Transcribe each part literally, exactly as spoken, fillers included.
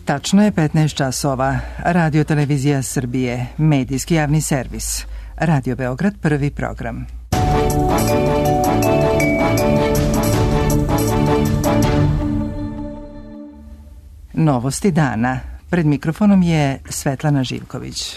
Tačno je petnaest časova. Radio Televizija Srbije, medijski javni servis. Radio Beograd, prvi program. Novosti dana. Pred mikrofonom je Svetlana Živković.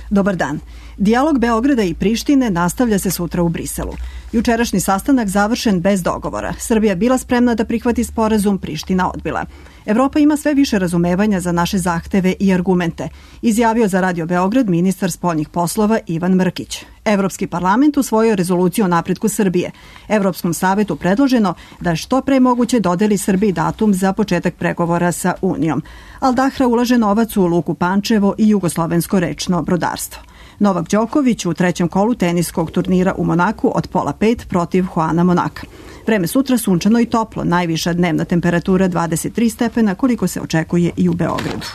Dobar dan. Dijalog Beograda i Prištine nastavlja se sutra u Briselu. Jučerašnji sastanak završen bez dogovora. Srbija bila spremna da prihvati sporazum, Priština odbila. Evropa ima sve više razumevanja za naše zahteve i argumente, izjavio za Radio Beograd ministar spoljnih poslova Ivan Mrkić. Evropski parlament usvojio rezoluciju o napretku Srbije. Evropskom savetu predloženo da što pre moguće dodeli Srbiji datum za početak pregovora sa Unijom. Al Dahra ulaže novac u Luku Pančevo i jugoslovensko rečno brodarstvo. Novak Đoković u trećem kolu teniskog turnira u Monaku od pola pet protiv Juana Monaka. Vreme sutra sunčano i toplo, najviša dnevna temperatura dvadeset tri stepena, koliko se očekuje i u Beogradu.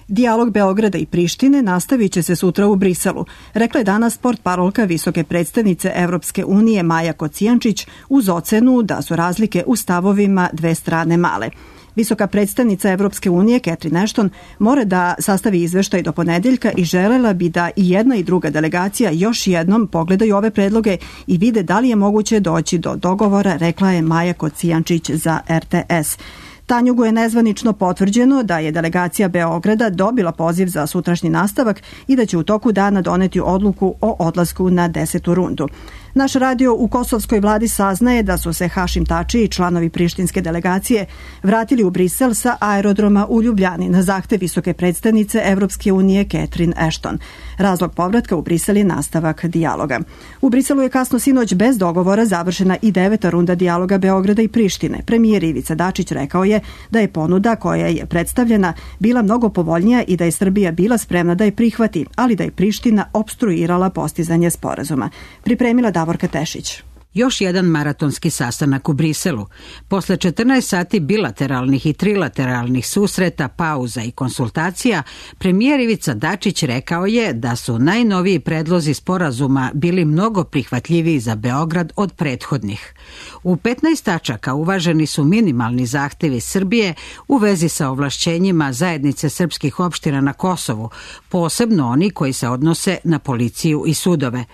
Dijalog Beograda i Prištine nastavit će se sutra u Briselu, rekla je danas portparolka visoke predstavnice Evropske unije Maja Kocijančić uz ocenu da su razlike u stavovima dve strane male. Visoka predstavnica Evropske unije, Catherine Ashton, mora da sastavi izveštaj do ponedeljka i želela bi da i jedna i druga delegacija još jednom pogledaju ove predloge i vide da li je moguće doći do dogovora, rekla je Maja Kocijančić za R T S. Tanjugu je nezvanično potvrđeno da je delegacija Beograda dobila poziv za sutrašnji nastavak i da će u toku dana doneti odluku o odlasku na desetu rundu. Naš radio u kosovskoj vladi saznaje da su se Hašim Tači i članovi prištinske delegacije vratili u Brisel sa aerodroma u Ljubljani na zahtev visoke predstavnice Evropske unije Catherine Ashton. Razlog povratka u Brisel je nastavak dijaloga. U Briselu je kasno sinoć bez dogovora završena i deveta runda dijaloga Beograda i Prištine. Premijer Ivica Dačić rekao je da je ponuda koja je predstavljena bila mnogo povoljnija i da je Srbija bila spremna da je prihvati, ali da je Priština opstruirala postizanje sporazuma. Pripremila Davorka Tešić. Još jedan maratonski sastanak u Briselu. Posle četrnaest sati bilateralnih i trilateralnih susreta, pauza i konsultacija, premijer Ivica Dačić rekao je da su najnoviji predlozi sporazuma bili mnogo prihvatljiviji za Beograd od prethodnih. U petnaest tačaka uvaženi su minimalni zahtevi Srbije u vezi sa ovlašćenjima zajednice srpskih opština na Kosovu, posebno oni koji se odnose na policiju i sudove.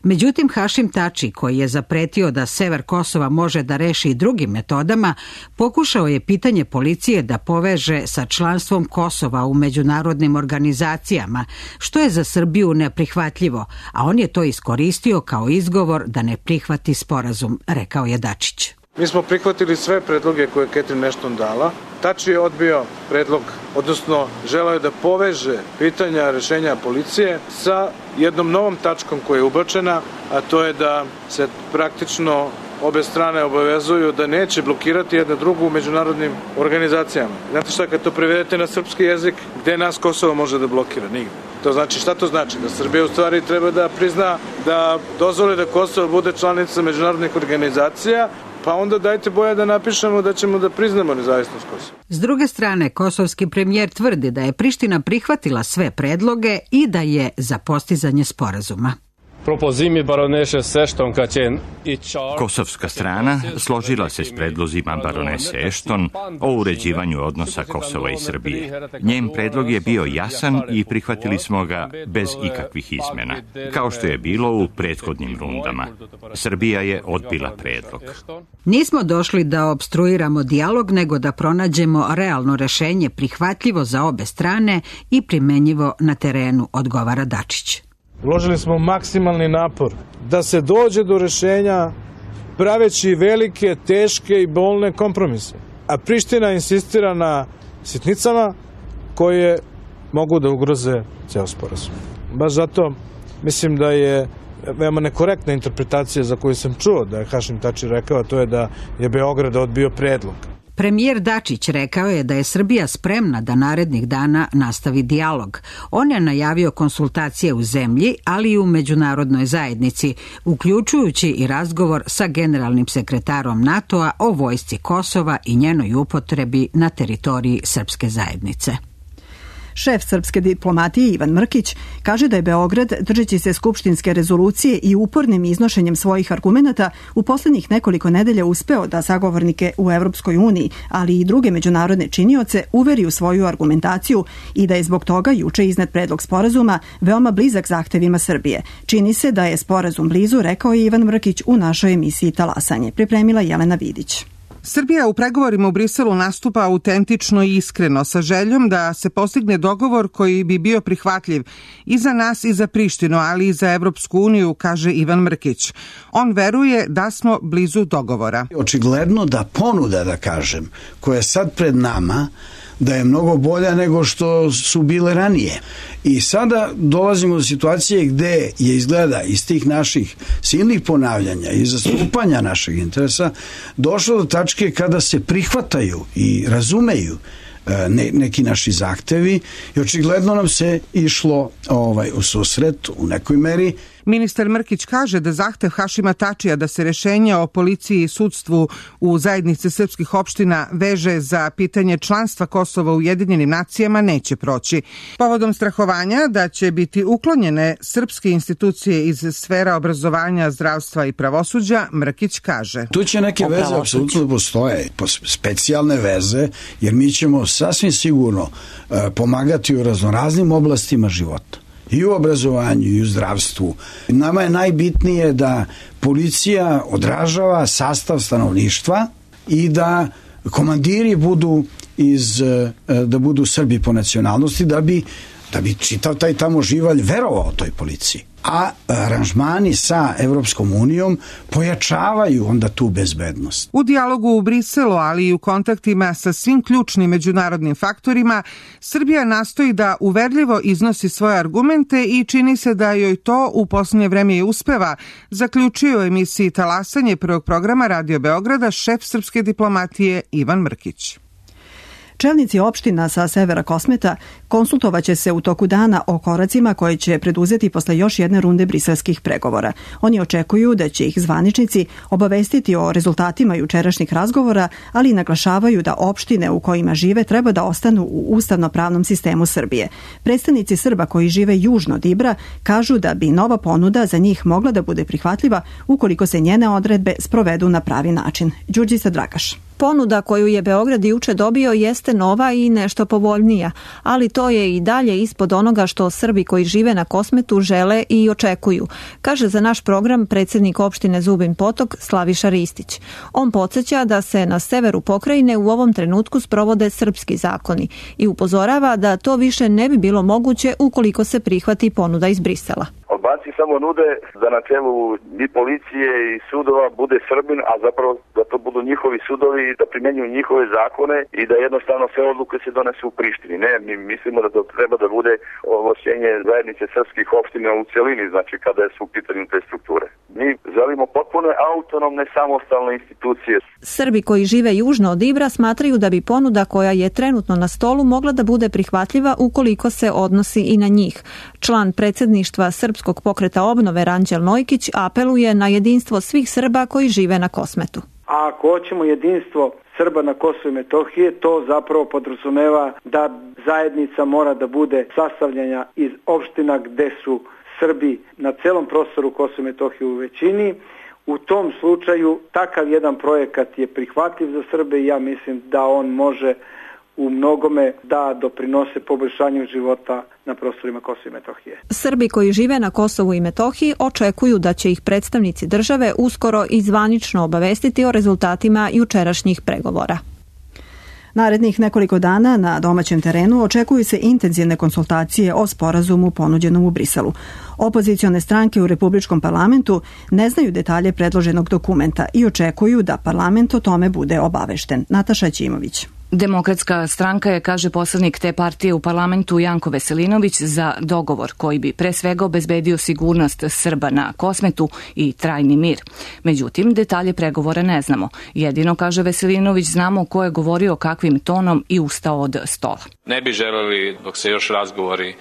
Međutim, Hašim Tači, koji je zapretio da sever Kosova može da reši i drugim metodama, pokušao je pitanje policije da poveže sa članstvom Kosova u međunarodnim organizacijama, što je za Srbiju neprihvatljivo, a on je to iskoristio kao izgovor da ne prihvati sporazum, rekao je Dačić. Mi smo prihvatili sve predloge koje je Catherine Ashton dala. Tači je odbio predlog, odnosno želeo je da poveže pitanja rešenja policije sa jednom novom tačkom koja je ubačena, a to je da se praktično obe strane obavezuju da neće blokirati jedna drugu u međunarodnim organizacijama. Znate šta, kad to prevedete na srpski jezik, gde nas Kosovo može da blokira? Nigde. To znači, šta to znači? Da Srbija u stvari treba da prizna, da dozvoli da Kosovo bude članica međunarodnih organizacija, pa onda dajte boja da napišemo da ćemo da priznamo nezavisnost Kosova. S druge strane, kosovski premijer tvrdi da je Priština prihvatila sve predloge i da je za postizanje sporazuma. Kosovska strana složila se s predlozima baronese Ashton o uređivanju odnosa Kosova i Srbije. Njen predlog je bio jasan i prihvatili smo ga bez ikakvih izmena, kao što je bilo u prethodnim rundama. Srbija je odbila predlog. Nismo došli da opstruiramo dijalog, nego da pronađemo realno rešenje prihvatljivo za obe strane i primenjivo na terenu, odgovara Dačić. Uložili smo maksimalni napor da se dođe do rešenja praveći velike, teške i bolne kompromise. A Priština insistira na sitnicama koje mogu da ugroze ceo sporazum. Baš zato mislim da je veoma nekorektna interpretacija za koju sam čuo da je Hašim Tači rekao, to je da je Beograd odbio predlog. Premijer Dačić rekao je da je Srbija spremna da narednih dana nastavi dijalog. On je najavio konsultacije u zemlji, ali i u međunarodnoj zajednici, uključujući i razgovor sa generalnim sekretarom NATO-a o vojsci Kosova i njenoj upotrebi na teritoriji srpske zajednice. Šef srpske diplomatije Ivan Mrkić kaže da je Beograd, držeći se skupštinske rezolucije i upornim iznošenjem svojih argumenata, u poslednjih nekoliko nedelja uspeo da sagovornike u Evropskoj uniji, ali i druge međunarodne činioce, uveri u svoju argumentaciju i da je zbog toga juče iznet predlog sporazuma veoma blizak zahtevima Srbije. Čini se da je sporazum blizu, rekao je Ivan Mrkić u našoj emisiji Talasanje. Pripremila Jelena Vidić. Srbija u pregovorima u Briselu nastupa autentično i iskreno, sa željom da se postigne dogovor koji bi bio prihvatljiv i za nas i za Prištinu, ali i za Evropsku uniju, kaže Ivan Mrkić. On veruje da smo blizu dogovora. Očigledno da ponuda, da kažem, koja je sad pred nama, da je mnogo bolja nego što su bile ranije. I sada dolazimo do situacije gde je izgleda iz tih naših silnih ponavljanja i zastupanja našeg interesa došlo do tačke kada se prihvataju i razumeju ne, neki naši zahtevi i očigledno nam se išlo ovaj, u susret u nekoj meri. Ministar Mrkić kaže da zahtev Hašima Tačija da se rešenje o policiji i sudstvu u zajednici srpskih opština veže za pitanje članstva Kosova u Ujedinjenim nacijama neće proći. Povodom strahovanja da će biti uklonjene srpske institucije iz sfera obrazovanja, zdravstva i pravosuđa, Mrkić kaže. Tu će neke veze apsolutno postoje, specijalne veze, jer mi ćemo sasvim sigurno pomagati u raznoraznim oblastima života. I u obrazovanju, i u zdravstvu. Nama je najbitnije da policija odražava sastav stanovništva i da komandiri budu iz, da budu Srbi po nacionalnosti, da bi, da bi čitav taj tamo živalj verovao toj policiji. A aranžmani sa Evropskom unijom pojačavaju onda tu bezbednost. U dijalogu u Briselu, ali i u kontaktima sa svim ključnim međunarodnim faktorima, Srbija nastoji da uverljivo iznosi svoje argumente i čini se da joj to u posljednje vreme i uspeva, zaključio u emisiji Talasanje prvog programa Radio Beograda šef srpske diplomatije Ivan Mrkić. Čelnici opština sa severa Kosmeta konsultovaće se u toku dana o koracima koje će preduzeti posle još jedne runde briselskih pregovora. Oni očekuju da će ih zvaničnici obavestiti o rezultatima jučerašnjih razgovora, ali i naglašavaju da opštine u kojima žive treba da ostanu u ustavno-pravnom sistemu Srbije. Predstavnici Srba koji žive južno od Ibra kažu da bi nova ponuda za njih mogla da bude prihvatljiva ukoliko se njene odredbe sprovedu na pravi način. Đurđica Dragaš. Ponuda koju je Beograd juče dobio jeste nova i nešto povoljnija, ali to je i dalje ispod onoga što Srbi koji žive na Kosmetu žele i očekuju, kaže za naš program predsjednik opštine Zubin Potok Slaviša Ristić. On podsjeća da se na severu pokrajine u ovom trenutku sprovode srpski zakoni i upozorava da to više ne bi bilo moguće ukoliko se prihvati ponuda iz Brisela. Albanci samo nude da na čelu i policije i sudova bude Srbin, a zapravo da to budu njihovi sudovi, da primjenjuju njihove zakone i da jednostavno sve odluke se donesu u Prištini. Ne, mi mislimo da to treba da bude ovlašćenje zajednice srpskih opština u celini, znači kada su u pitanju te strukture. Mi želimo potpuno autonomne, samostalne institucije. Srbi koji žive južno od Ibra smatraju da bi ponuda koja je trenutno na stolu mogla da bude prihvatljiva ukoliko se odnosi i na njih. Član predsjedništva Srpskog pokreta obnove Ranđel Nojkić apeluje na jedinstvo svih Srba koji žive na Kosmetu. A ako hoćemo jedinstvo Srba na Kosovu i Metohije, to zapravo podrazumeva da zajednica mora da bude sastavljena iz opština gde su Srbi na celom prostoru Kosova i Metohije u većini. U tom slučaju takav jedan projekat je prihvatljiv za Srbe i ja mislim da on može u mnogome da doprinose poboljšanju života na prostorima Kosova i Metohije. Srbi koji žive na Kosovu i Metohiji očekuju da će ih predstavnici države uskoro i zvanično obavestiti o rezultatima jučerašnjih pregovora. Narednih nekoliko dana na domaćem terenu očekuju se intenzivne konsultacije o sporazumu ponuđenom u Briselu. Opozicione stranke u Republičkom parlamentu ne znaju detalje predloženog dokumenta i očekuju da parlament o tome bude obavešten. Nataša Ćimović. Demokratska stranka je, kaže poslanik te partije u parlamentu Janko Veselinović, za dogovor koji bi pre svega obezbedio sigurnost Srba na Kosmetu i trajni mir. Međutim, detalje pregovora ne znamo. Jedino, kaže Veselinović, znamo ko je govorio kakvim tonom i ustao od stola. Ne bi želeli, dok se još razgovori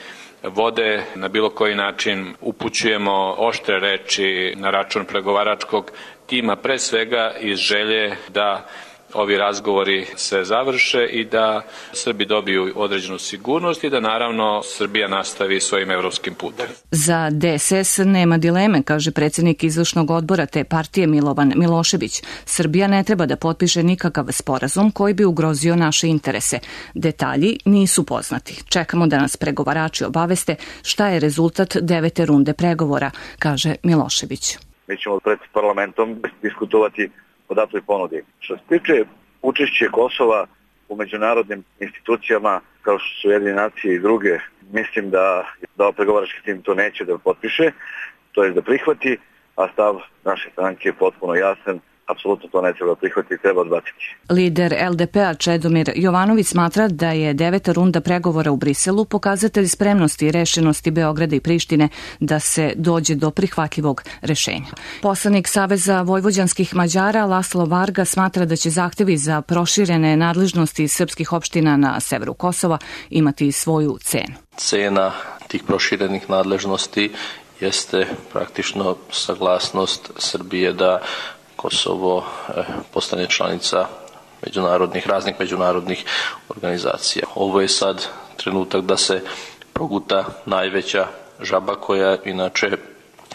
vode, na bilo koji način upućujemo oštre reči na račun pregovaračkog tima, pre svega iz želje da ovi razgovori se završe i da Srbi dobiju određenu sigurnost i da naravno Srbija nastavi svojim evropskim putem. Za D S S nema dileme, kaže predsjednik izvršnog odbora te partije Milovan Milošević. Srbija ne treba da potpiše nikakav sporazum koji bi ugrozio naše interese. Detalji nisu poznati. Čekamo da nas pregovarači obaveste šta je rezultat devete runde pregovora, kaže Milošević. Mi ćemo pred parlamentom diskutovati o datoj ponudi. Što se tiče učešće Kosova u međunarodnim institucijama kao što su Ujedinjene nacije i druge, mislim da, da pregovarački tim to neće da potpiše, to je da prihvati, a stav naše stranke je potpuno jasan. Apsolutno to ne treba prihvatiti, treba odbaciti. Lider L D P-a Čedomir Jovanović smatra da je deveta runda pregovora u Briselu pokazatelj spremnosti i rešenosti Beograda i Prištine da se dođe do prihvatljivog rešenja. Poslanik Saveza vojvođanskih Mađara Laslo Varga smatra da će zahtevi za proširene nadležnosti srpskih opština na severu Kosova imati svoju cenu. Cena tih proširenih nadležnosti jeste praktično saglasnost Srbije da Kosovo postane članica međunarodnih, raznih međunarodnih organizacija. Ovo je sad trenutak da se proguta najveća žaba koja inače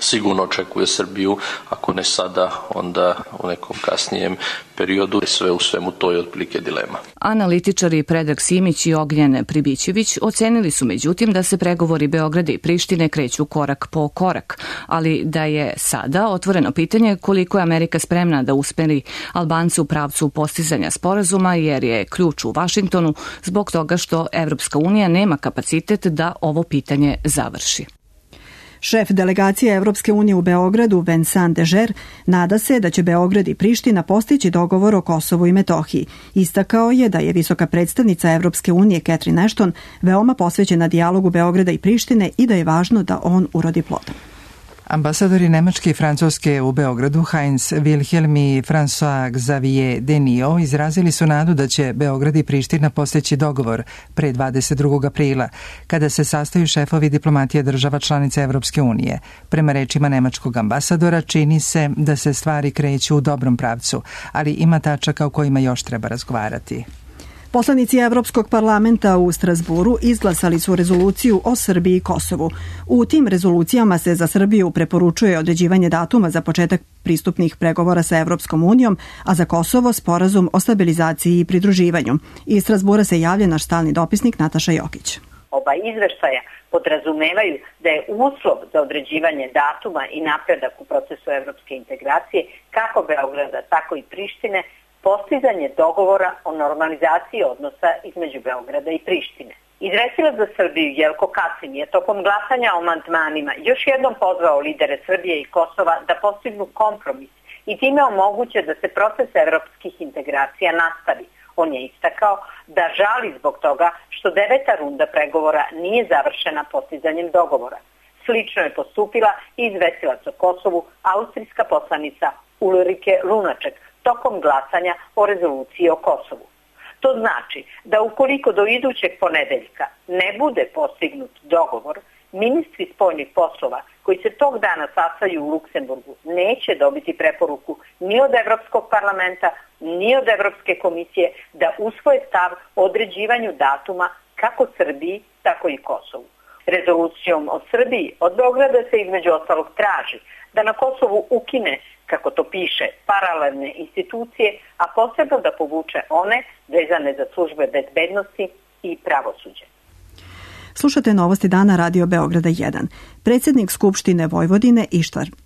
sigurno očekuje Srbiju, ako ne sada, onda u nekom kasnijem periodu. Sve u svemu to je otprilike dilema. Analitičari Predrag Simić i Ognjen Pribićević ocenili su međutim da se pregovori Beograda i Prištine kreću korak po korak, ali da je sada otvoreno pitanje koliko je Amerika spremna da usmeri Albance u pravcu postizanja sporazuma, jer je ključ u Vašingtonu zbog toga što Evropska unija nema kapacitet da ovo pitanje završi. Šef delegacije Evropske unije u Beogradu, Vincent Dežer, nada se da će Beograd i Priština postići dogovor o Kosovu i Metohiji. Istakao je da je visoka predstavnica Evropske unije Catherine Ashton veoma posvećena dijalogu Beograda i Prištine i da je važno da on urodi plodom. Ambasadori Nemačke i Francuske u Beogradu Heinz Wilhelm i François Xavier Denio izrazili su nadu da će Beograd i Priština postići dogovor pre dvadeset drugog aprila, kada se sastaju šefovi diplomatije država članica Evropske unije. Prema rečima nemačkog ambasadora, čini se da se stvari kreću u dobrom pravcu, ali ima tačaka o kojima još treba razgovarati. Poslanici Evropskog parlamenta u Strasburu izglasali su rezoluciju o Srbiji i Kosovu. U tim rezolucijama se za Srbiju preporučuje određivanje datuma za početak pristupnih pregovora sa Evropskom unijom, a za Kosovo sporazum o stabilizaciji i pridruživanju. Iz Strasbura se javlja naš stalni dopisnik Nataša Jokić. Oba izveštaja podrazumevaju da je uslov za određivanje datuma i napredak u procesu evropske integracije kako Beograda, tako i Prištine postizanje dogovora o normalizaciji odnosa između Beograda i Prištine. Izvestilac za Srbiju Jelko Kacin je tokom glasanja o amandmanima još jednom pozvao lidere Srbije i Kosova da postignu kompromis i time omoguće da se proces evropskih integracija nastavi. On je istakao da žali zbog toga što deveta runda pregovora nije završena postizanjem dogovora. Slično je postupila i izvestilac o Kosovu, austrijska poslanica Ulrike Lunaček, tokom glasanja o rezoluciji o Kosovu. To znači da ukoliko do idućeg ponedeljka ne bude postignut dogovor, ministri spoljnih poslova koji se tog dana sastaju u Luksemburgu neće dobiti preporuku ni od Evropskog parlamenta, ni od Evropske komisije da usvoje stav o određivanju datuma kako Srbiji, tako i Kosovu. Rezolucijom o Srbiji od Beograda se između ostalog traži da na Kosovu ukine, kako to piše, paralelne institucije, a posebno da povuče one vezane za službe bezbednosti i pravosuđe. Slušate novosti dana Radio Beograda jedan. Predsjednik Skupštine Vojvodine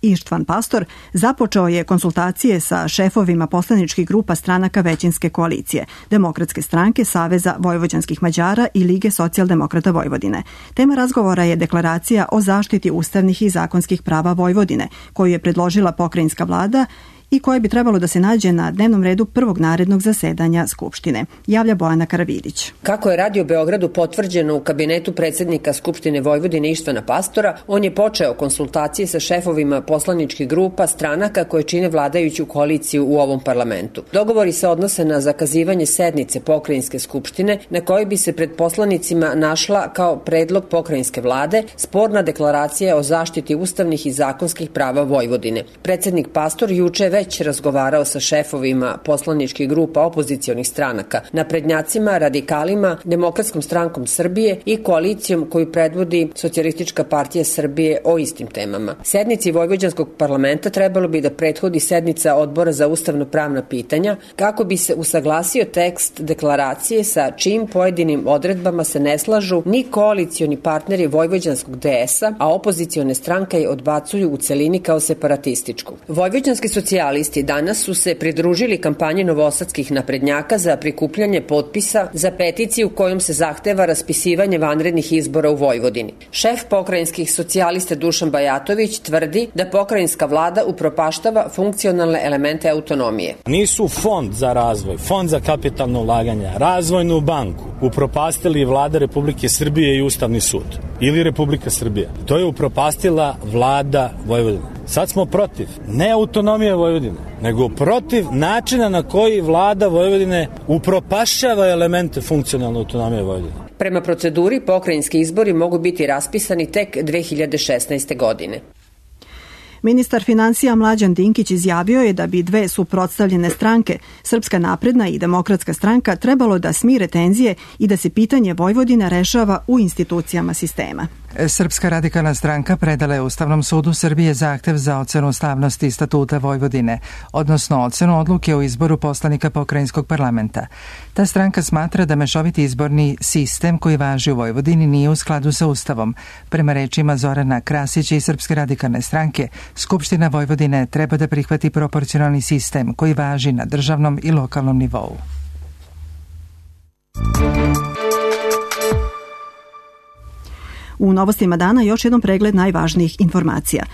Ištvan Pastor započeo je konsultacije sa šefovima poslaničkih grupa stranaka većinske koalicije, Demokratske stranke, Saveza vojvođanskih Mađara i Lige socijaldemokrata Vojvodine. Tema razgovora je deklaracija o zaštiti ustavnih i zakonskih prava Vojvodine, koju je predložila pokrajinska vlada i koje bi trebalo da se nađe na dnevnom redu prvog narednog zasedanja Skupštine. Javlja Bojana Karavidić. Kako je Radio Beogradu potvrđeno u kabinetu predsjednika Skupštine Vojvodine Ištvana Pastora, on je počeo konsultacije sa šefovima poslaničkih grupa stranaka koje čine vladajuću koaliciju u ovom parlamentu. Dogovori se odnose na zakazivanje sednice pokrajinske skupštine na kojoj bi se pred poslanicima našla kao predlog pokrajinske vlade sporna deklaracija o zaštiti ustavnih i zakonskih prava Vojvodine. Predsjednik Pastor juče već već razgovarao sa šefovima poslaničkih grupa opozicionih stranaka, naprednjacima, radikalima, Demokratskom strankom Srbije i koalicijom koju predvodi Socijalistička partija Srbije o istim temama. Sednici Vojvođanskog parlamenta trebalo bi da prethodi sednica Odbora za ustavno-pravna pitanja kako bi se usaglasio tekst deklaracije sa čim pojedinim odredbama se ne slažu ni koalicioni partneri Vojvođanskog D S-a, a opozicione stranke je odbacuju u celini kao separatističku. Vojvođanski socijalisti danas su se pridružili kampanji novosadskih naprednjaka za prikupljanje potpisa za peticiju kojom se zahteva raspisivanje vanrednih izbora u Vojvodini. Šef pokrajinskih socijalista Dušan Bajatović tvrdi da pokrajinska vlada upropaštava funkcionalne elemente autonomije. Nisu fond za razvoj, fond za kapitalno ulaganja, razvojnu banku upropastili vlada Republike Srbije i Ustavni sud ili Republika Srbija. To je upropastila vlada Vojvodine. Sad smo protiv, ne autonomije Vojvodine, nego protiv načina na koji vlada Vojvodine upropašava elemente funkcionalne autonomije Vojvodine. Prema proceduri, pokrajinski izbori mogu biti raspisani tek dve hiljade šesnaeste. godine. Ministar financija Mlađan Dinkić izjavio je da bi dve suprotstavljene stranke, Srpska napredna i Demokratska stranka, trebalo da smire tenzije i da se pitanje Vojvodine rešava u institucijama sistema. Srpska radikalna stranka predala je Ustavnom sudu Srbije zahtev za ocenu ustavnosti statuta Vojvodine, odnosno ocenu odluke o izboru poslanika pokrajinskog parlamenta. Ta stranka smatra da mešoviti izborni sistem koji važi u Vojvodini nije u skladu sa Ustavom. Prema rečima Zorana Krasića i Srpske radikalne stranke, Skupština Vojvodine treba da prihvati proporcionalni sistem koji važi na državnom i lokalnom nivou. U novostima dana još jedan pregled najvažnijih informacija.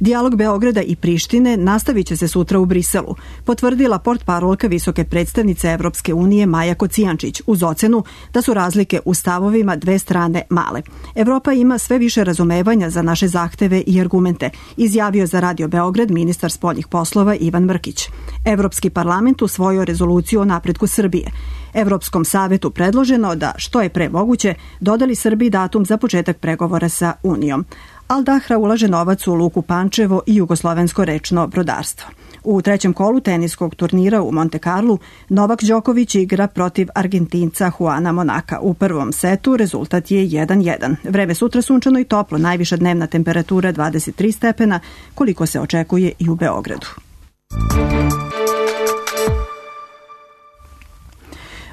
Dijalog Beograda i Prištine nastavit će se sutra u Briselu, potvrdila portparolka visoke predstavnice Evropske unije Maja Kocijančić uz ocenu da su razlike u stavovima dve strane male. Evropa ima sve više razumevanja za naše zahteve i argumente, izjavio za Radio Beograd ministar spoljnih poslova Ivan Mrkić. Evropski parlament usvojio rezoluciju o napretku Srbije. Evropskom savetu predloženo da, što je pre moguće, dodali Srbiji datum za početak pregovora sa Unijom. Al Dahra ulaže novac u Luku Pančevo i jugoslovensko rečno brodarstvo. U trećem kolu teniskog turnira u Monte Carlu Novak Đoković igra protiv Argentinca Juana Monaka. U prvom setu rezultat je jedan jedan. Vreme sutra sunčano i toplo, najviša dnevna temperatura dvadeset tri stepena, koliko se očekuje i u Beogradu.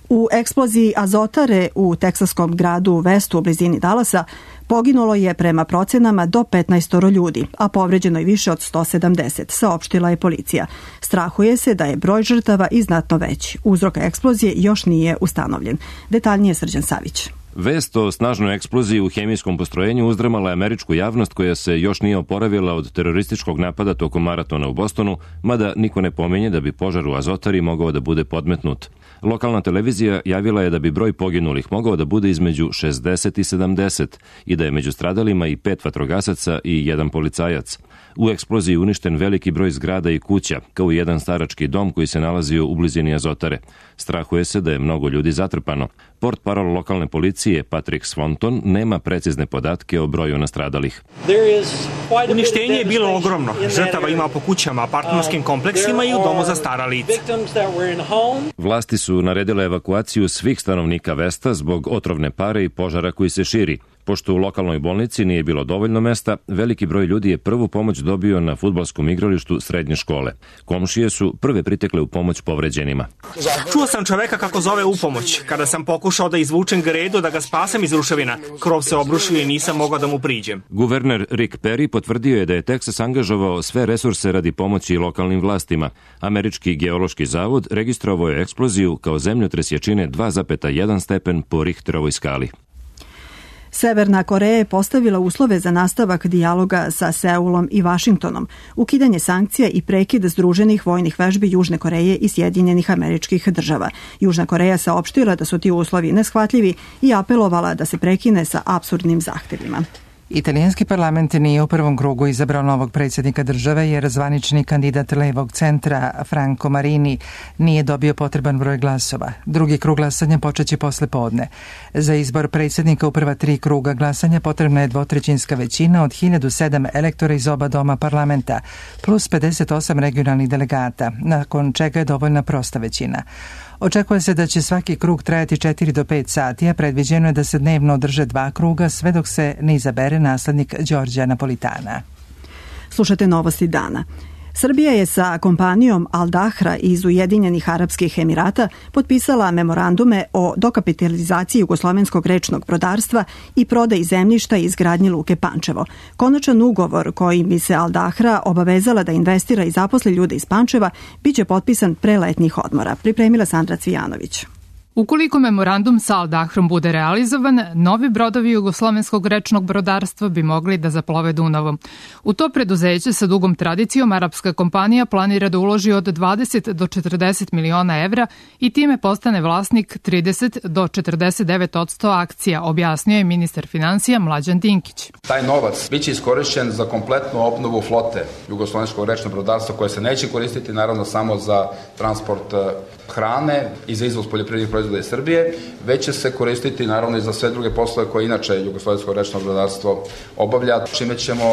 U eksploziji azotare u teksaskom gradu Westu u blizini Dallasa poginulo je prema procenama do petnaest ljudi, a povređeno je više od sto sedamdeset, saopštila je policija. Strahuje se da je broj žrtava i znatno veći. Uzrok eksplozije još nije ustanovljen. Detaljnije Srđan Savić. Vest o snažnoj eksploziji u hemijskom postrojenju uzdramala je američku javnost koja se još nije oporavila od terorističkog napada tokom maratona u Bostonu, mada niko ne pominje da bi požar u azotari mogao da bude podmetnut. Lokalna televizija javila je da bi broj poginulih mogao da bude između šezdeset i sedamdeset i da je među stradalima i pet vatrogasaca i jedan policajac. U eksploziji uništen veliki broj zgrada i kuća, kao i jedan starački dom koji se nalazio u blizini azotare. Strahuje se da je mnogo ljudi zatrpano. Portparol lokalne policije Patrick Swanton nema precizne podatke o broju nastradalih. Uništenje je bilo ogromno. Žrtava ima po kućama, apartmanskim kompleksima i u domu za stara lica. Vlasti su naredile evakuaciju svih stanovnika Vesta zbog otrovne pare i požara koji se širi. Pošto u lokalnoj bolnici nije bilo dovoljno mesta, veliki broj ljudi je prvu pomoć dobio na fudbalskom igralištu srednje škole. Komšije su prve pritekle u pomoć povređenima. Čuo sam čoveka kako zove u pomoć. Kada sam pokušao da izvučem gredu da ga spasem iz ruševina, krov se obrušio i nisam mogao da mu priđem. Guverner Rick Perry potvrdio je da je Teksas angažovao sve resurse radi pomoći lokalnim vlastima. Američki geološki zavod registrovao je eksploziju kao zemljotres jačine dva zarez jedan stepen po Richterovoj skali. Severna Koreja je postavila uslove za nastavak dijaloga sa Seulom i Vašingtonom, ukidanje sankcija i prekid združenih vojnih vežbi Južne Koreje i Sjedinjenih Američkih Država. Južna Koreja saopštila da su ti uslovi neshvatljivi i apelovala da se prekine sa apsurdnim zahtevima. Italijanski parlament nije u prvom krugu izabrao novog predsjednika države jer zvanični kandidat levog centra Franco Marini nije dobio potreban broj glasova. Drugi krug glasanja počeće posle podne. Za izbor predsjednika u prva tri kruga glasanja potrebna je dvotrećinska većina od hiljadu sedam elektora iz oba doma parlamenta, plus pedeset osam regionalnih delegata, nakon čega je dovoljna prosta većina. Očekuje se da će svaki krug trajati četiri do pet sati, a predviđeno je da se dnevno održe dva kruga sve dok se ne izabere naslednik Đorđa Napolitana. Slušate novosti dana. Srbija je sa kompanijom Al Dahra iz Ujedinjenih Arapskih Emirata potpisala memorandume o dokapitalizaciji jugoslovenskog rečnog brodarstva i prodaji zemljišta i izgradnji Luke Pančevo. Konačan ugovor kojim bi se Al Dahra obavezala da investira i zaposli ljude iz Pančeva biće potpisan pre letnjih odmora, pripremila Sandra Cvijanović. Ukoliko memorandum sa Al Dahrom bude realizovan, novi brodovi jugoslovenskog rečnog brodarstva bi mogli da zaplove Dunavom. U to preduzeće sa dugom tradicijom arapska kompanija planira da uloži od dvadeset do četrdeset miliona evra i time postane vlasnik trideset do četrdeset devet odsto akcija, objasnio je ministar finansija Mlađan Dinkić. Taj novac biće iskorišćen za kompletnu obnovu flote jugoslovenskog rečnog brodarstva koje se neće koristiti naravno samo za transport hrane i za izvoz poljoprivrednih proizvoda iz Srbije, već će se koristiti naravno i za sve druge poslove koje inače jugoslovensko rečno brodarstvo obavlja, čime ćemo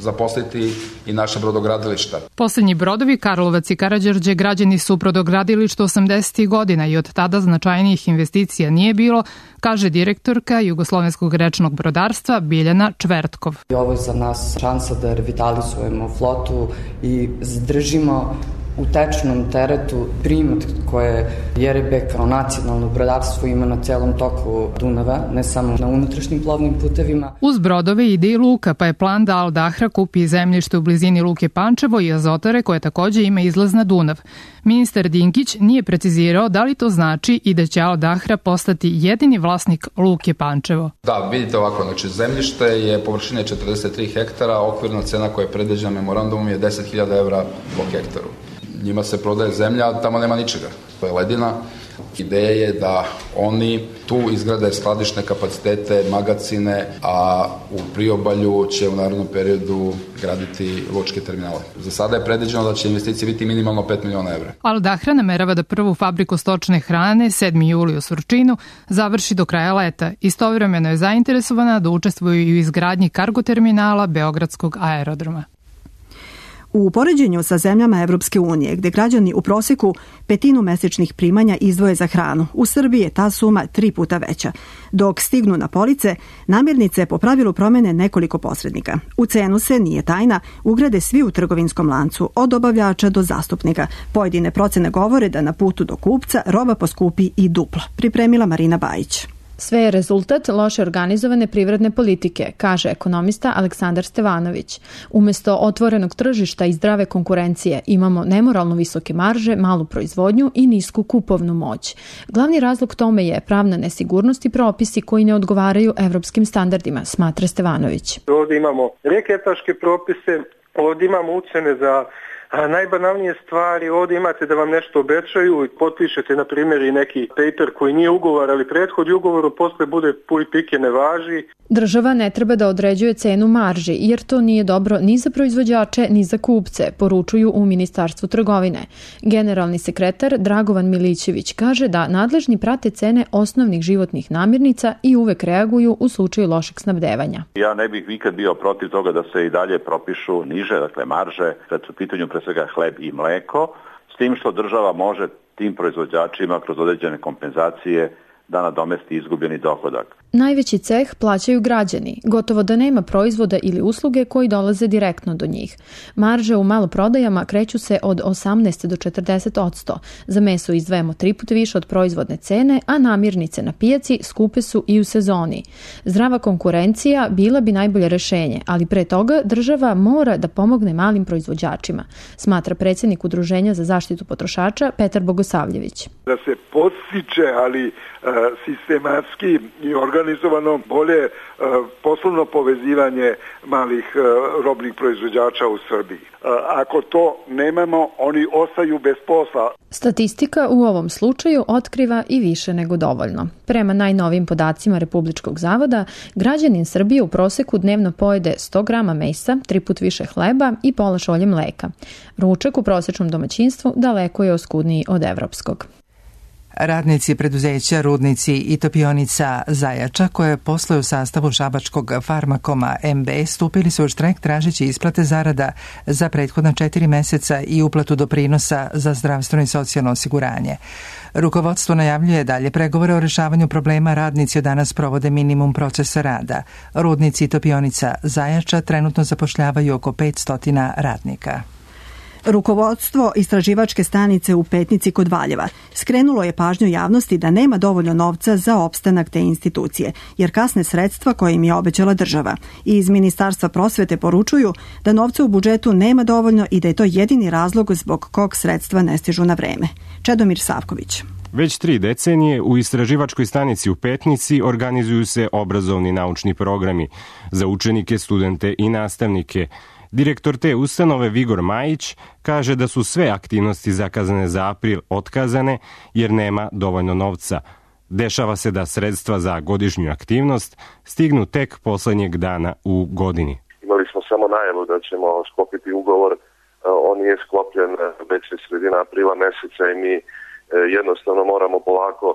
zaposliti i naše brodogradilišta. Poslednji brodovi Karlovac i Karađorđe građeni su brodogradilišta osamdesetih godina i od tada značajnijih investicija nije bilo, kaže direktorka jugoslovenskog rečnog brodarstva Biljana Čvertkov. Ovo je za nas šansa da revitalizujemo flotu i zadržimo u tečnom teretu primat koje J R B kao nacionalno brodarstvo ima na celom toku Dunava, ne samo na unutrašnjim plovnim putevima. Uz brodove ide i luka, pa je plan da Al Dahra kupi zemljište u blizini Luke Pančevo i Azotare koje takođe ima izlaz na Dunav. Ministar Dinkić nije precizirao da li to znači i da će Al Dahra postati jedini vlasnik Luke Pančevo. Da, vidite ovako, znači zemljište je površine četrdeset tri hektara, okvirna cena koja je predviđena memorandumom je deset hiljada evra po hektaru. Njima se prodaje zemlja, a tamo nema ničega. To je ledina. Ideja je da oni tu izgrade skladišne kapacitete, magacine, a u priobalju će u narednom periodu graditi lučke terminale. Za sada je predviđeno da će investicije biti minimalno pet miliona evra. Al Dahra namerava da prvu fabriku stočne hrane sedmi juli u Surčinu završi do kraja leta. Istovremeno je zainteresovana da učestvuju i u izgradnji kargo terminala Beogradskog aerodroma. U poređenju sa zemljama Evropske unije, gde građani u proseku petinu mesečnih primanja izdvoje za hranu, u Srbiji je ta suma tri puta veća. Dok stignu na police, namirnice po pravilu promene nekoliko posrednika. U cenu se, nije tajna, ugrade svi u trgovinskom lancu, od dobavljača do zastupnika. Pojedine procene govore da na putu do kupca roba poskupi i duplo. Pripremila Marina Bajić. Sve je rezultat loše organizovane privredne politike, kaže ekonomista Aleksandar Stevanović. Umesto otvorenog tržišta i zdrave konkurencije imamo nemoralno visoke marže, malu proizvodnju i nisku kupovnu moć. Glavni razlog tome je pravna nesigurnost i propisi koji ne odgovaraju evropskim standardima, smatra Stevanović. Ovdje imamo reketaške propise, ovdje imamo ucene za A najbanalnije stvari, ovdje imate da vam nešto obećaju i potpišete, na primjer, i neki paper koji nije ugovor, ali prethodi ugovoru, posle bude puj pike ne važi. Država ne treba da određuje cenu marži, jer to nije dobro ni za proizvođače, ni za kupce, poručuju u Ministarstvu trgovine. Generalni sekretar Dragovan Milićević kaže da nadležni prate cene osnovnih životnih namirnica i uvek reaguju u slučaju lošeg snabdevanja. Ja ne bih nikad bio protiv toga da se i dalje propišu niže, dakle marže, kad su pitanju pre svega hleb i mleko, s tim što država može tim proizvođačima kroz određene kompenzacije da nadomesti izgubljeni dohodak. Najveći ceh plaćaju građani, gotovo da nema proizvoda ili usluge koji dolaze direktno do njih. Marže u maloprodajama kreću se od osamnaest do četrdeset odsto. Za meso izdvajamo tri puta više od proizvodne cene, a namirnice na pijaci skupe su i u sezoni. Zdrava konkurencija bila bi najbolje rešenje, ali pre toga država mora da pomogne malim proizvođačima, smatra predsjednik Udruženja za zaštitu potrošača Petar Bogosavljević. Da se podstiče, ali sistematski i organizovano organizovano, bolje poslovno povezivanje malih robnih proizvođača u Srbiji. Ako to nemamo, oni ostaju bez posla. Statistika u ovom slučaju otkriva i više nego dovoljno. Prema najnovijim podacima Republičkog zavoda, građanin Srbije u proseku dnevno pojede sto grama mesa, tri put više hleba i pola šolje mleka. Ručak u prosečnom domaćinstvu daleko je oskudniji od evropskog. Radnici preduzeća Rudnici i topionica Zajača, koje posluju u sastavu šabačkog Farmakoma em be, stupili su u štrajk tražeći isplate zarada za prethodna četiri meseca i uplatu doprinosa za zdravstveno i socijalno osiguranje. Rukovodstvo najavljuje dalje pregovore o rešavanju problema. Radnici od danas provode minimum procesa rada. Rudnici i topionica Zajača trenutno zapošljavaju oko petsto radnika. Rukovodstvo istraživačke stanice u Petnici kod Valjeva skrenulo je pažnju javnosti da nema dovoljno novca za opstanak te institucije, jer kasne sredstva koje im je obećala država. I iz Ministarstva prosvete poručuju da novca u budžetu nema dovoljno i da je to jedini razlog zbog kog sredstva ne stižu na vreme. Čedomir Savković. Već tri decenije u istraživačkoj stanici u Petnici organizuju se obrazovni naučni programi za učenike, studente i nastavnike. Direktor te ustanove Vigor Majić kaže da su sve aktivnosti zakazane za april otkazane jer nema dovoljno novca. Dešava se da sredstva za godišnju aktivnost stignu tek poslednjeg dana u godini. Imali smo samo najavu da ćemo sklopiti ugovor, on nije sklopljen već je sredina aprila meseca i mi jednostavno moramo polako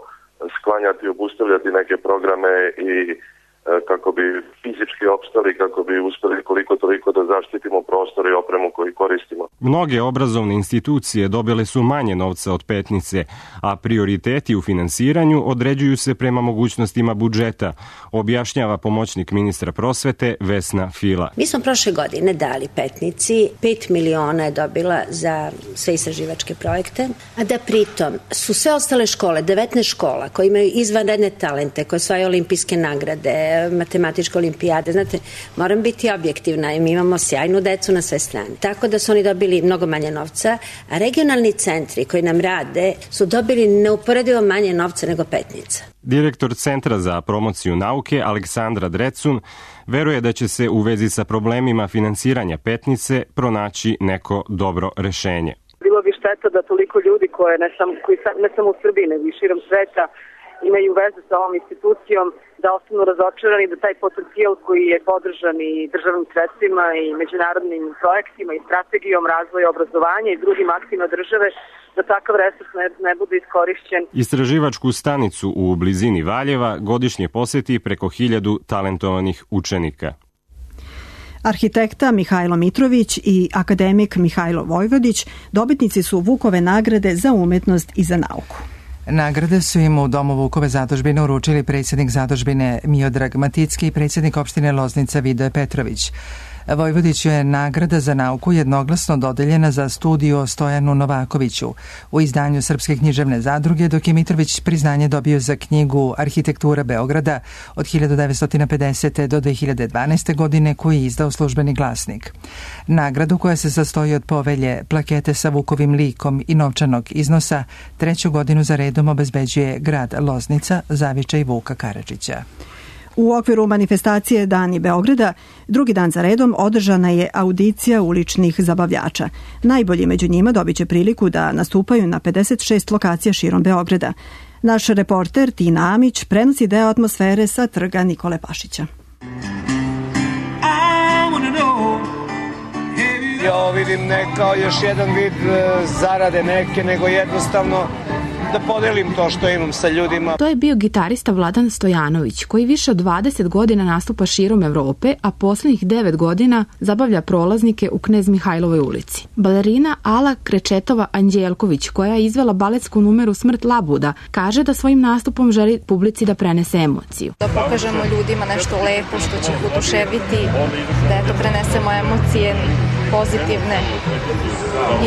sklanjati i obustavljati neke programe i kako bi fizički opstali, kako bi uspeli koliko toliko da zaštitimo prostor i opremu koju koristimo. Mnoge obrazovne institucije dobile su manje novca od Petnice, a prioriteti u finansiranju određuju se prema mogućnostima budžeta, objašnjava pomoćnik ministra prosvete Vesna Fila. Mi smo prošle godine dali Petnici, pet miliona je dobila za sve istraživačke projekte, a da pritom su sve ostale škole, devetnaest škola koje imaju izvanredne talente, koje osvajaju olimpijske nagrade, matematičke olimpijade. Znate, moram biti objektivna i mi imamo sjajnu decu na sve strane. Tako da su oni dobili mnogo manje novca, a regionalni centri koji nam rade su dobili neuporedivo manje novca nego Petnica. Direktor Centra za promociju nauke Aleksandra Drecun veruje da će se u vezi sa problemima finansiranja Petnice pronaći neko dobro rešenje. Bilo bi šteta da toliko ljudi koje ne samo, koji ne samo u Srbiji nego i širom sveta imaju veze sa ovom institucijom, da ostanu razočarani, da taj potencijal koji je podržan i državnim sredstvima i međunarodnim projektima i strategijom razvoja obrazovanja i drugim aktima države, da takav resurs ne, ne bude iskorišćen. Istraživačku stanicu u blizini Valjeva godišnje poseti preko hiljadu talentovanih učenika. Arhitekta Mihajlo Mitrović i akademik Mihajlo Vojvodić dobitnici su Vukove nagrade za umetnost i za nauku. Nagrade su im u Domu Vukove zadužbine uručili predsjednik zadužbine Miodrag Maticki i predsjednik opštine Loznica Vidoje Petrović. Vojvodiću je nagrada za nauku jednoglasno dodeljena za studiju o Stojanu Novakoviću u izdanju Srpske književne zadruge, dok je Mitrović priznanje dobio za knjigu Arhitektura Beograda od hiljadu devetsto pedesete. do dve hiljade dvanaeste. godine koju je izdao Službeni glasnik. Nagradu, koja se sastoji od povelje, plakete sa Vukovim likom i novčanog iznosa, treću godinu za redom obezbeđuje grad Loznica, zavičaj Vuka Karadžića. U okviru manifestacije Dani Beograda, drugi dan za redom održana je audicija uličnih zabavljača. Najbolji među njima dobit će priliku da nastupaju na pedeset šest lokacija širom Beograda. Naš reporter Tina Amić prenosi deo atmosfere sa trga Nikole Pašića. Ja ovo vidim ne kao još jedan vid zarade neke, nego jednostavno da podelim to što imam sa ljudima. To je bio gitarista Vladan Stojanović, koji više od dvadeset godina nastupa širom Evrope, a poslednjih devet godina zabavlja prolaznike u Knez Mihajlovoj ulici. Balerina Ala Krečetova Anđelković, koja je izvela baletsku numeru Smrt Labuda, kaže da svojim nastupom želi publici da prenese emociju. Da pokažemo ljudima nešto lepo što će ih oduševiti, da eto prenesemo emocije pozitivne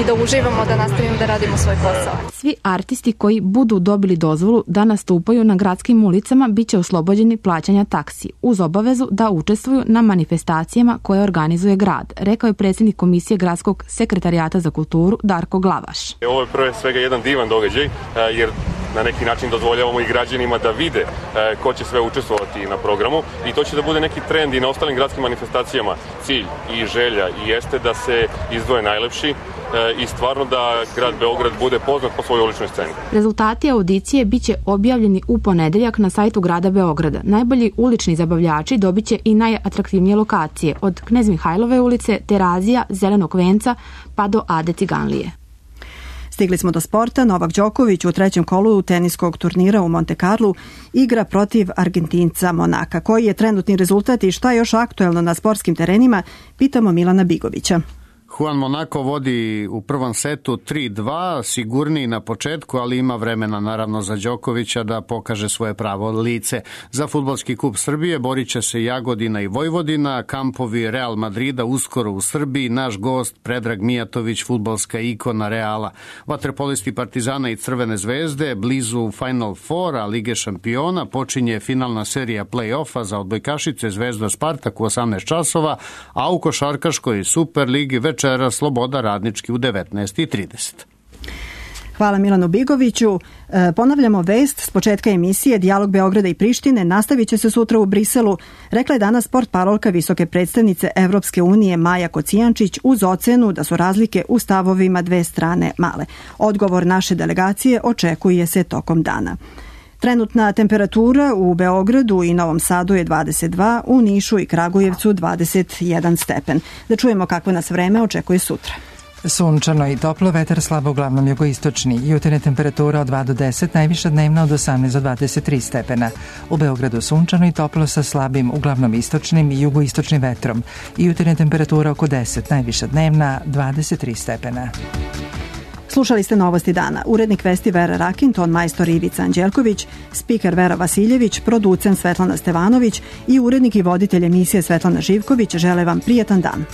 i da uživamo, da nastavimo da radimo svoj posao. Svi artisti koji budu dobili dozvolu da nastupaju na gradskim ulicama biće oslobođeni plaćanja taksi, uz obavezu da učestvuju na manifestacijama koje organizuje grad, rekao je predsjednik Komisije Gradskog sekretarijata za kulturu Darko Glavaš. Ovo je prve svega jedan divan događaj, jer na neki način dozvoljavamo i građanima da vide ko će sve učestvovati na programu i to će da bude neki trend i na ostalim gradskim manifestacijama. Cilj i želja i jeste da se izdvoje najlepši i stvarno da grad Beograd bude poznat po svojoj uličnoj sceni. Rezultati audicije biće objavljeni u ponedeljak na sajtu grada Beograda. Najbolji ulični zabavljači dobiće i najatraktivnije lokacije od Knez Mihajlove ulice, Terazija, Zelenog venca pa do Ade Ciganlije. Stigli smo do sporta. Novak Đoković u trećem kolu teniskog turnira u Monte Carlu igra protiv Argentinca Monaka. Koji je trenutni rezultat i šta je još aktuelno na sportskim terenima, pitamo Milana Bigovića. Juan Monaco vodi u prvom setu tri dva, sigurniji na početku, ali ima vremena naravno za Đokovića da pokaže svoje pravo lice. Za Fudbalski kup Srbije borit će se Jagodina i Vojvodina, kampovi Real Madrida uskoro u Srbiji, naš gost Predrag Mijatović, fudbalska ikona Reala. Vaterpolisti Partizana i Crvene zvezde blizu Final Foura Lige šampiona, počinje finalna serija play-offa za odbojkašice Zvezda Spartak u osamnaest časova, a u košarkaškoj Superligi večera Sloboda Radnički u devetnaest i trideset. Hvala Milanu Bigoviću. E, ponavljamo vest s početka emisije. Dijalog Beograda i Prištine nastavit će se sutra u Briselu, rekla je danas portparolka visoke predstavnice Evropske unije Maja Kocijančić uz ocenu da su razlike u stavovima dve strane male. Odgovor naše delegacije očekuje se tokom dana. Trenutna temperatura u Beogradu i Novom Sadu je dvadeset dva, u Nišu i Kragujevcu dvadeset jedan stepen. Da čujemo kakvo nas vreme očekuje sutra. Sunčano i toplo, vetar slabo uglavnom jugoistočni. Jutarnja temperatura od dva do deset, najviša dnevna od osamnaest do dvadeset tri stepena. U Beogradu sunčano i toplo sa slabim uglavnom istočnim i jugoistočnim vetrom. Jutarnja temperatura oko deset, najviša dnevna dvadeset tri stepena. Slušali ste Novosti dana. Urednik vesti Vera Rakin, ton majstor Ivica Anđelković, spiker Vera Vasiljević, producent Svetlana Stevanović i urednik i voditelj emisije Svetlana Živković žele vam prijatan dan.